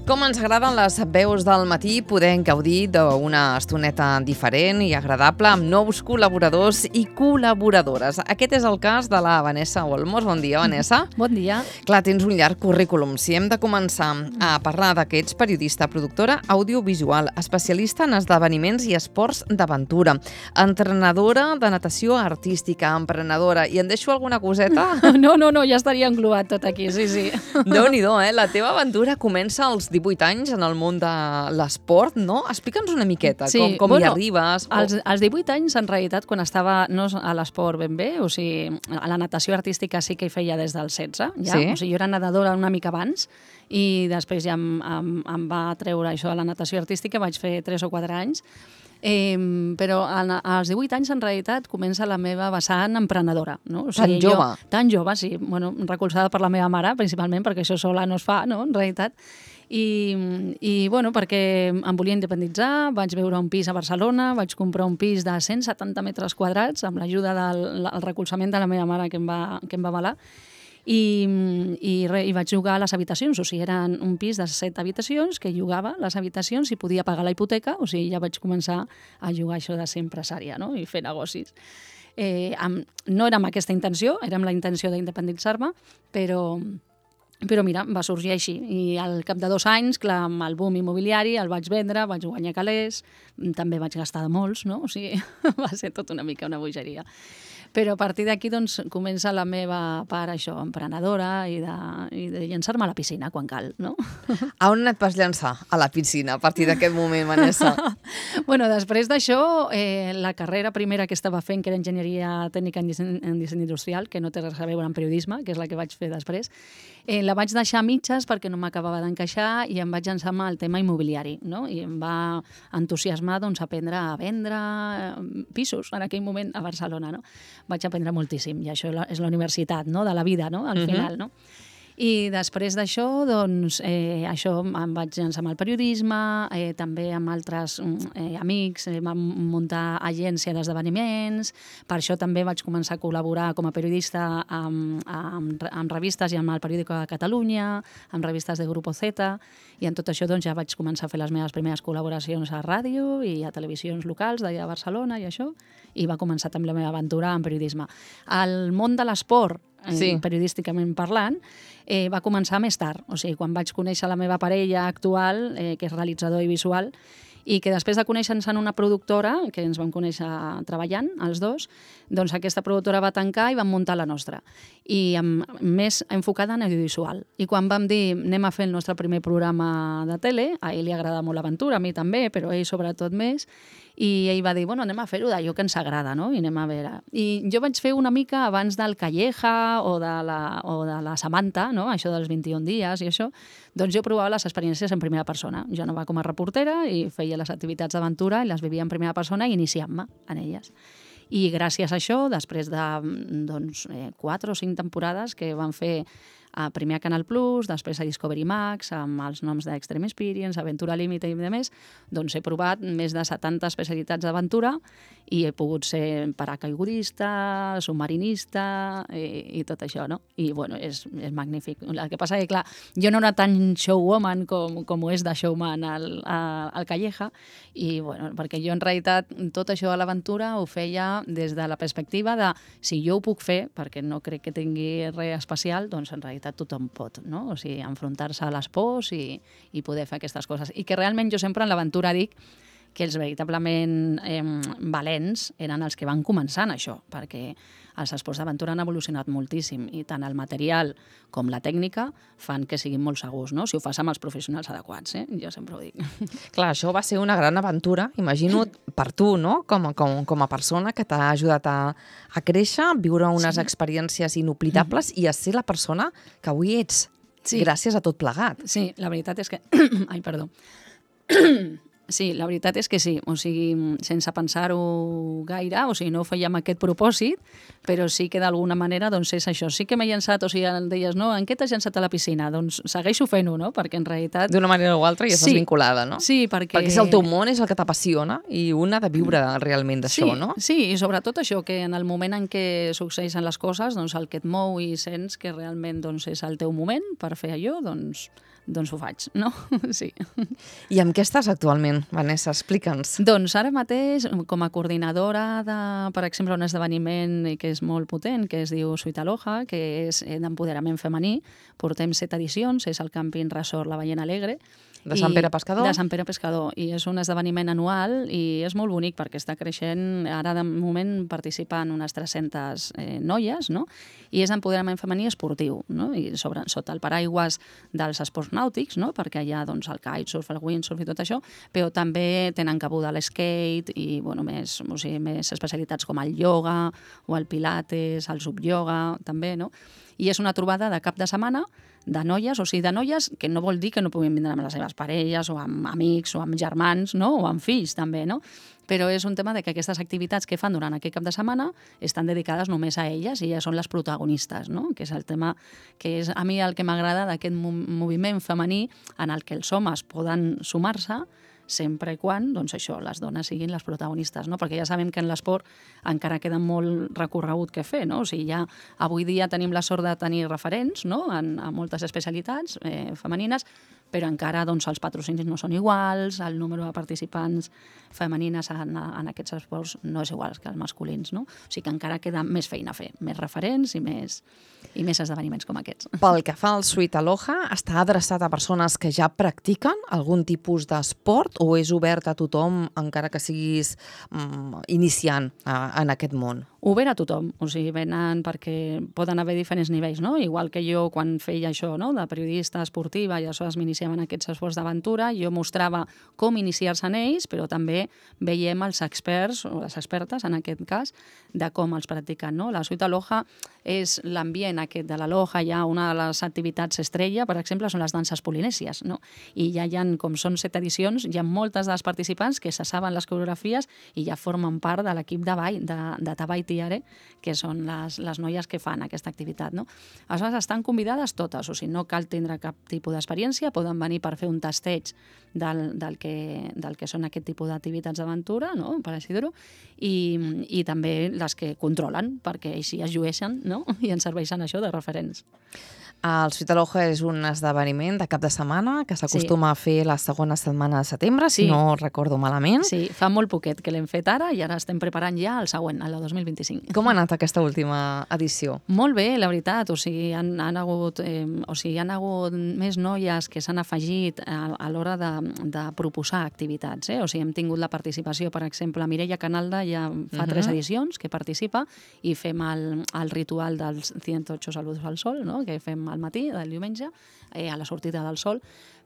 Com ens agraden les veus del matí, podem gaudir d'una estoneta diferent i agradable amb nous col·laboradors i col·laboradores. Aquest és el cas de la Vanessa Olmos. Bon dia, Vanessa. Bon dia. Clar, tens un llarg currículum. Si hem de començar a parlar que ets periodista, productora audiovisual, especialista en esdeveniments i esports d'aventura, entrenadora de natació artística, emprenedora, i en deixo alguna coseta? No, ja estaria englobat tot aquí, sí. Déu-n'hi-do, La teva aventura comença als 18 anys en el món de l'esport, no? Explica'ns una miqueta, sí, com hi arribes. Als 18 anys, en realitat, quan estava no a l'esport ben bé, o sigui, a la natació artística sí que hi feia des dels 16, ja. Sí? O sigui, jo era nedadora una mica abans i després ja em va treure això de la natació artística, vaig fer 3 o 4 anys. Però als 18 anys, en realitat, comença la meva vessant emprenedora. No? O sigui, tan jove, sí. Bueno, recolzada per la meva mare, principalment, perquè això sola no es fa, no?, en realitat. I bueno, perquè em volia independitzar, vaig veure un pis a Barcelona, vaig comprar un pis de 170 metres quadrats amb l'ajuda del recolzament de la meva mare que em va avalar. I vaig llogar a les habitacions, o sigui, eren un pis de 7 habitacions que llogava les habitacions i podia pagar la hipoteca, o sigui, ja vaig començar a jugar això de ser empresària, no?, i fer negocis. No era amb aquesta intenció, era amb la intenció d'independitzar-me, però mira, va sorgir així. I al cap de 2 anys, clar, amb el boom immobiliari, el vaig vendre, vaig guanyar calés, també vaig gastar de molts, no? O sigui, va ser tot una mica una bogeria. Però a partir d'aquí, doncs, comença la meva part, això, emprenedora i de llançar-me a la piscina quan cal, no? A on et vas llançar? A la piscina, a partir d'aquest moment, Vanessa? Bueno, després d'això, la carrera primera que estava fent, que era enginyeria tècnica en disseny industrial, que no té res a veure amb periodisme, que és la que vaig fer després, la vaig deixar a mitges perquè no m'acabava d'encaixar i em vaig llançar amb el tema immobiliari, no? I em va entusiasmar, doncs, aprendre a vendre pisos en aquell moment a Barcelona, no? Vaig aprendre moltíssim, i això és la universitat, no?, de la vida, no?, al final, no? I després d'això, doncs, això em vaig llançar amb el periodisme, també amb altres amics, vam muntar agència d'esdeveniments, per això també vaig començar a col·laborar com a periodista amb revistes i amb el Periódico de Catalunya, amb revistes de Grupo Z, i en tot això doncs, ja vaig començar a fer les meves primeres col·laboracions a ràdio i a televisions locals d'allà a Barcelona i això, i va començar també la meva aventura en periodisme. El món de l'esport, periodísticament parlant, va començar més tard. O sigui, quan vaig conèixer la meva parella actual, que és realitzador i visual, i que després de conèixer-nos en una productora, que ens vam conèixer treballant, els dos, doncs aquesta productora va tancar i vam muntar la nostra. I més enfocada en audiovisual. I quan vam dir anem a fer el nostre primer programa de tele, a ell li agrada molt l'aventura, a mi també, però a ell sobretot més, i ell va dir, bueno, anem a fer-ho d'allò que ens agrada, no? I anem a veure. I jo vaig fer una mica abans del Calleja o de la Samantha, no?, això dels 21 dies i això, doncs jo provava les experiències en primera persona. Jo anava com a reportera i feia les activitats d'aventura i les vivia en primera persona i iniciant-me en elles. I gràcies a això, després de 4 o 5 temporades que van fer primer a Canal Plus, després a Discovery Max, amb els noms d'Extreme Experience, Aventura Límite i més, doncs he provat més de 70 especialitats d'aventura i he pogut ser paracaigudista, submarinista i tot això, no? I, bueno, és magnífic. El que passa que, clar, jo no era tan showwoman com ho és de showman al Calleja i, bueno, perquè jo, en realitat, tot això de l'aventura ho feia des de la perspectiva de si jo ho puc fer, perquè no crec que tingui res especial, doncs, en realitat, tothom pot, no? O sigui, enfrontar-se a les pors i poder fer aquestes coses. I que realment jo sempre en l'aventura dic que els veritablement valents eren els que van començar en això, perquè els esports d'aventura han evolucionat moltíssim i tant el material com la tècnica fan que siguin molt segurs, no? Si ho fas amb els professionals adequats, jo sempre ho dic. Clar, això va ser una gran aventura, imagino, per tu, no?, com a persona que t'ha ajudat a créixer, a viure unes experiències inoblidables i a ser la persona que avui ets, gràcies a tot plegat. Sí, la veritat és que... Ai, perdó. Sí, la veritat és que sí, o sigui, sense pensar-ho gaire, o sigui, no ho feia amb aquest propòsit, però sí que d'alguna manera, doncs és això, sí que m'he llançat, o sigui, em deies, no, en què t'has llançat a la piscina? Doncs segueixo fent-ho, no?, perquè en realitat... D'una manera o altra ja estàs vinculada, no? Sí, perquè... Perquè si el teu món és el que t'apassiona i un ha de viure realment d'això, no? Sí, i sobretot això, que en el moment en què succeeixen les coses, doncs el que et mou i sents que realment doncs, és el teu moment per fer allò, doncs ho faig, no? Sí. I amb què estàs actualment, Vanessa? Explica'ns. Doncs ara mateix, com a coordinadora de, per exemple, un esdeveniment que és molt potent, que es diu Suite Aloha, que és d'empoderament femení, portem 7 edicions, és el Camping Resort La Ballena Alegre. De Sant Pere Pescador? De Sant Pere Pescador, i és un esdeveniment anual i és molt bonic perquè està creixent, ara de moment participen unes 300 noies, no? I és empoderament femení esportiu, no? I sota el paraigües dels esports nàutics, no? Perquè hi ha doncs, el kitesurf, el windsurf i tot això, però també tenen cabuda l'skate i bueno, més especialitats com el ioga o el pilates, el subioga, també, no? I és una trobada de cap de setmana de noies, o sigui, de noies que no vol dir que no puguin vindre amb les seves parelles o amb amics o amb germans, no? O amb fills també, no? Però és un tema de que aquestes activitats que fan durant aquest cap de setmana estan dedicades només a elles i elles són les protagonistes, no? Que és el tema que és a mi el que m'agrada d'aquest moviment femení en el que els homes poden sumar-se sempre i quan, doncs això, les dones siguin les protagonistes, no? Perquè ja sabem que en l'esport encara queda molt recorregut que fer, no? O sigui, ja avui dia tenim la sort de tenir referents, no?, en moltes especialitats femenines, però encara doncs, els patrocinis no són iguals, el número de participants femenines en aquests esports no és igual que els masculins, no? O sigui que encara queda més feina a fer, més referents i més esdeveniments com aquests. Pel que fa al Suite Aloha, està adreçat a persones que ja practiquen algun tipus d'esport o és obert a tothom, encara que siguis iniciant en aquest món? Obert a tothom, o sigui, venen perquè poden haver diferents nivells, no? Igual que jo quan feia això, no?, de periodista esportiva i aleshores m'iniciava en aquests esports d'aventura, jo mostrava com iniciar-se en ells, però també veiem els experts, o les expertes en aquest cas, de com els practiquen, no? La Suite Aloha és l'ambient aquest de l'Aloha, ja una de les activitats estrella, per exemple, són les danses polinèsies, no? I ja hi ha, com són 7 edicions, hi ha moltes dels participants que se saben les coreografies i ja formen part de l'equip de ball, de Tabai Tiare, que són les noies que fan aquesta activitat, no? Aleshores, estan convidades totes, o sigui, no cal tindre cap tipus d'experiència, poden venir per fer un tasteig del que són aquest tipus d'activitats d'aventura, no?, per així dir-ho, i també les que controlen, perquè així es llueixen, no?, i ens serveixen això de referents. El Suite Aloha és un esdeveniment de cap de setmana que s'acostuma a fer la segona setmana de setembre, si no recordo malament. Sí, fa molt poquet que l'hem fet ara i ara estem preparant ja el següent, el de 2025. Com ha anat aquesta última edició? Molt bé, la veritat. O sigui, han hagut més noies que s'han afegit a l'hora de proposar activitats. O sigui, hem tingut la participació, per exemple, Mireia Canalda ja fa 3 edicions que participa i fem el ritual dels 108 saludos al sol, no?, que fem al matí del diumenge, a la sortida del sol,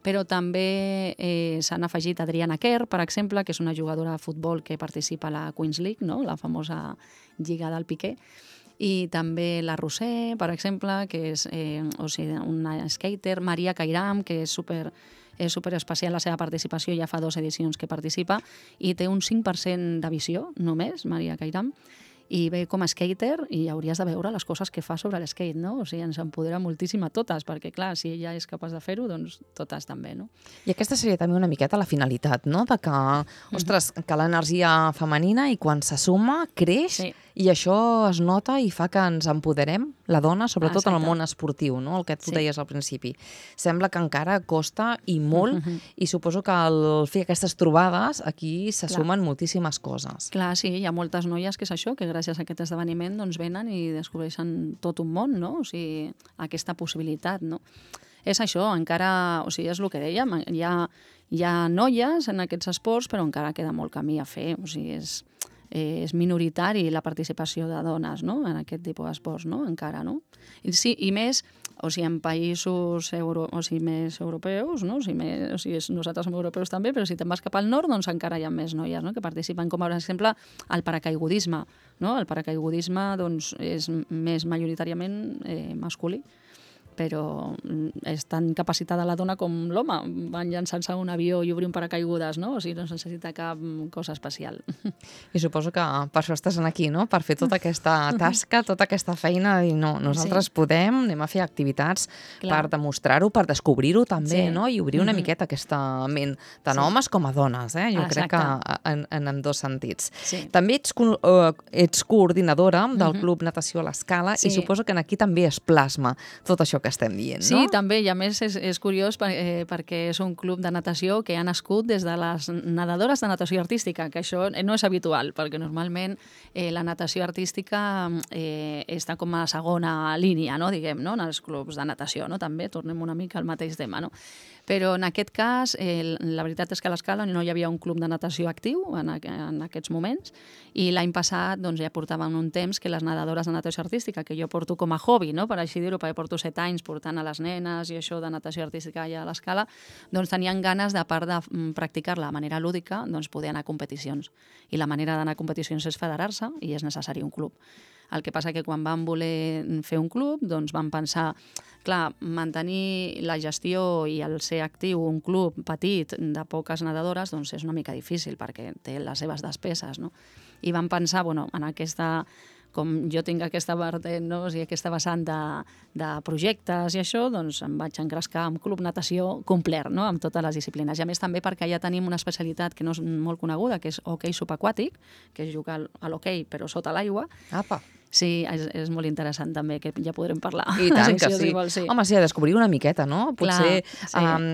però també s'han afegit Adriana Kerr, per exemple, que és una jugadora de futbol que participa a la Queens League, no?, la famosa lliga del Piqué, i també la Roser, per exemple, que és una skater, Maria Kairam, que és super especial la seva participació, ja fa 2 edicions que participa, i té un 5% de visió, només, Maria Kairam, i ve com a skater i hauries de veure les coses que fa sobre l'skate, no? O sigui, ens empodera moltíssim a totes, perquè clar, si ella és capaç de fer-ho, doncs totes també, no? I aquesta seria també una miqueta la finalitat, no?, de que, ostres, que l'energia femenina i quan se suma creix i això es nota i fa que ens empoderem, la dona, sobretot en el món esportiu, no?, el que tu deies al principi. Sembla que encara costa i molt i suposo que al fer aquestes trobades aquí se sumen moltíssimes coses. Clar, sí, hi ha moltes noies que és això, que gràcies a aquest esdeveniment doncs venen i descobreixen tot un món, no? O sigui, aquesta possibilitat, no? És això, encara, o sigui, és el que dèiem, hi ha noies en aquests esports, però encara queda molt camí a fer, o sigui, és minoritari la participació de dones, no?, en aquest tipus d'esports, no?, encara, no? Sí, i més, o sigui, en països més europeus, no? O sigui, nosaltres som europeus també, però si te'n vas cap al nord, doncs encara hi ha més noies, no?, que participen, com per exemple el paracaigudisme, no? El paracaigudisme doncs, és més majoritàriament masculí, però és tan capacitada la dona com l'home. Van llançant-se a un avió i obrir un paracaigudes, no? O sigui, no es necessita cap cosa especial. I suposo que per això estàs aquí, no? Per fer tota aquesta tasca, tota aquesta feina, i no, nosaltres podem, anem a fer activitats per demostrar-ho, per descobrir-ho també, no? I obrir una miqueta aquesta ment, tant homes com a dones, Jo crec que en ambdós sentits. També ets coordinadora del Club Natació a l'Escala i suposo que aquí també es plasma tot això que estem dient, no? Sí, també, i a més és curiós perquè és un club de natació que ha nascut des de les nedadores de natació artística, que això no és habitual, perquè normalment la natació artística està com a segona línia, no, diguem, no, en els clubs de natació, no? També tornem una mica al mateix tema, no? Però en aquest cas, la veritat és que a l'Escala no hi havia un club de natació actiu en aquests moments, i l'any passat ja portàvem un temps que les nedadores de natació artística, que jo porto com a hobby, no? Per així dir-ho, perquè porto 7 anys portant a les nenes i això de natació artística allà a l'Escala, tenien ganes, de part de practicar-la de manera lúdica, poder anar a competicions. I la manera d'anar a competicions és federar-se i és necessari un club. El que passa que quan vam voler fer un club, vam pensar, clar, mantenir la gestió i el ser actiu un club petit de poques nedadores és una mica difícil perquè té les seves despeses, no? I vam pensar, en aquesta, com jo tinc aquesta vertent, no? O sigui, aquesta vessant de projectes i això, em vaig engrescar amb Club Natació complet, no? Amb totes les disciplines. I a més també perquè ja tenim una especialitat que no és molt coneguda, que és hoquei subaquàtic, que és jugar a l'hoquei però sota l'aigua. Apa! Sí, és molt interessant també, que ja podrem parlar. I tant que sí. Home, sí, a descobrir una miqueta, no? Potser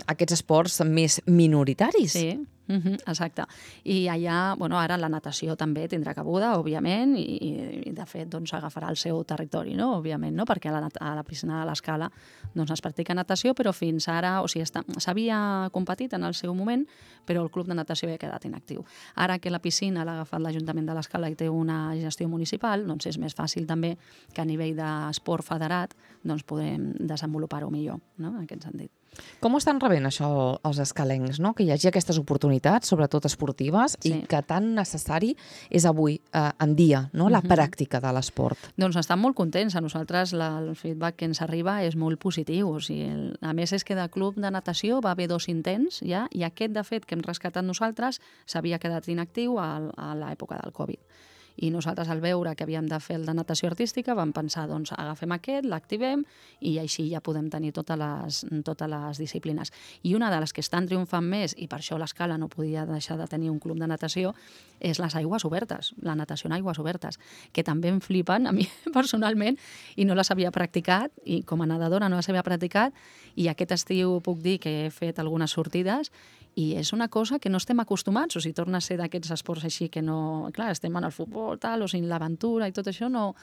aquests esports més minoritaris. Sí. Exacte. I allà, ara la natació també tindrà cabuda, òbviament, i de fet agafarà el seu territori, no? Òbviament, no? Perquè a la piscina de l'Escala es practica natació, però fins ara, o sigui, s'havia competit en el seu moment, però el club de natació havia quedat inactiu. Ara que la piscina l'ha agafat l'Ajuntament de l'Escala i té una gestió municipal, és més fàcil també que a nivell d'esport federat podem desenvolupar-ho millor, no? En aquest sentit. Com ho estan rebent això els escalencs, no? Que hi hagi aquestes oportunitats, sobretot esportives, i que tan necessari és avui en dia, no? La pràctica de l'esport. Estan molt contents. A nosaltres el feedback que ens arriba és molt positiu. O sigui, a més, és que de club de natació va haver 2 intents ja, i aquest, de fet, que hem rescatat nosaltres, s'havia quedat inactiu a l'època del Covid. I nosaltres, al veure que havíem de fer el de natació artística, vam pensar, agafem aquest, l'activem i així ja podem tenir totes les disciplines. I una de les que estan triomfant més, i per això l'Escala no podia deixar de tenir un club de natació, és les aigües obertes, la natació en aigües obertes, que també em flipen a mi personalment, i no les havia practicat, i com a nedadora no les havia practicat, i aquest estiu puc dir que he fet algunes sortides, i és una cosa que no estem acostumats, o sigui, torna a ser d'aquests esports així que no... Clar, estem en el futbol, tal, o sigui, l'aventura i tot això no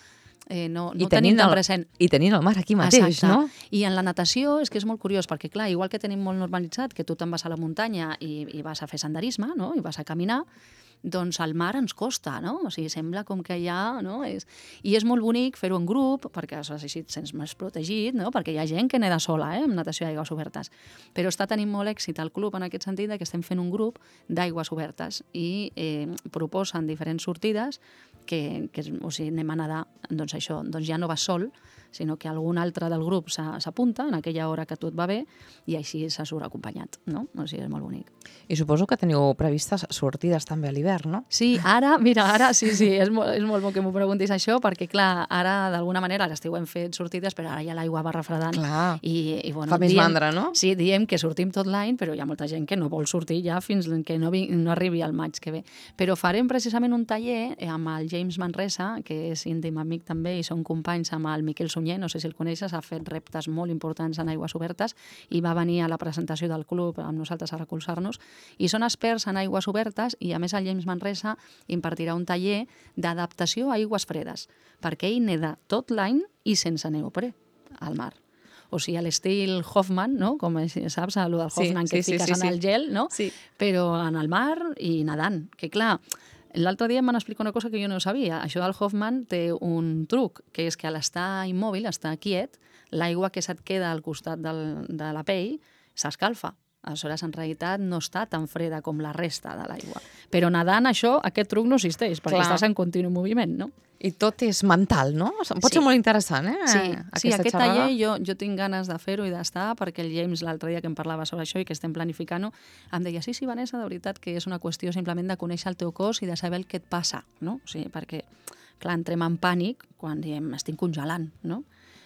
tenim tan present. I tenint el mar aquí mateix, exacte, no? I en la natació és que és molt curiós, perquè clar, igual que tenim molt normalitzat que tu te'n vas a la muntanya i vas a fer senderisme, no? I vas a caminar, al mar ens costa, no? O sigui, sembla com que ja... No? I és molt bonic fer-ho en grup, perquè així et sents més protegit, no? Perquè hi ha gent que neda sola, amb natació d'aigües obertes. Però està tenint molt èxit al club en aquest sentit que estem fent un grup d'aigües obertes i proposen diferents sortides que o sigui, anem a nedar, això, ja no vas sol, sinó que algun altre del grup s'apunta en aquella hora que tot va bé i així se surt acompanyat, no? O sigui, és molt bonic. I suposo que teniu previstes sortides també a l'hivern, no? Sí, ara sí, és molt bo que m'ho preguntis això, perquè clar, ara d'alguna manera a l'estiu hem fet sortides, però ara ja l'aigua va refredant. Clar, bueno, fa més mandra, no? Sí, diem que sortim tot l'any, però hi ha molta gent que no vol sortir ja fins que no arribi al maig que ve. Però farem precisament un taller amb el James Manresa, que és íntim amic també, i són companys amb el Miquel Sunyer, no sé si el coneixes, ha fet reptes molt importants en aigües obertes i va venir a la presentació del club amb nosaltres a recolzar-nos, i són experts en aigües obertes, i a més el James Manresa impartirà un taller d'adaptació a aigües fredes, perquè ell neda tot l'any i sense neoprè al mar. O sigui, a l'estil Hoffman, no? Com saps, el del Hoffman, que fiques en el gel, no? Sí. Però en el mar i nedant, que clar, l'altre dia em van explicar una cosa que jo no sabia. Això del Hoffman té un truc, que és que a l'estar immòbil, estar quiet, l'aigua que se't queda al costat de la pell s'escalfa. Aleshores, en realitat, no està tan freda com la resta de l'aigua. Però nedant, aquest truc no existeix, perquè Clar. estàs en continu moviment, no? I tot és mental, no? Pot ser molt interessant, Sí, aquesta aquest xerrada. taller jo tinc ganes de fer-ho i d'estar, perquè el James, l'altre dia que em parlava sobre això i que estem planificant-ho, em deia, sí, Vanessa, de veritat que és una qüestió simplement de conèixer el teu cos i de saber el que et passa, no? O sigui, perquè, clar, entrem en pànic quan diem, estic congelant, no?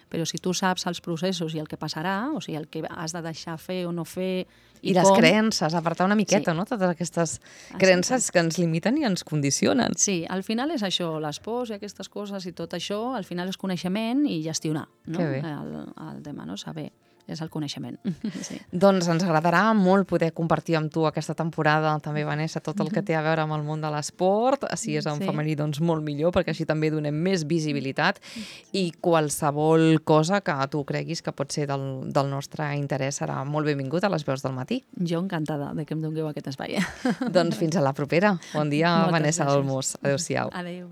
Però si tu saps els processos i el que passarà, o sigui, el que has de deixar fer o no fer I les creences, apartar una miqueta, Sí. no? Totes aquestes creences que ens limiten i ens condicionen. Sí, al final és això, les pors i aquestes coses i tot això, al final és coneixement i gestionar, no? Que bé. El tema, no? Saber, és el coneixement. Sí. Doncs ens agradarà molt poder compartir amb tu aquesta temporada, també, Vanessa, tot el que té a veure amb el món de l'esport. Si és en Sí. femení, doncs molt millor, perquè així també donem més visibilitat i qualsevol cosa que tu creguis que pot ser del nostre interès serà molt benvingut a les veus del matí. Jo encantada de que em dongueu aquest espai. Doncs fins a la propera. Bon dia, Moltes Vanessa gràcies. Olmos. Adéu-siau. Adéu.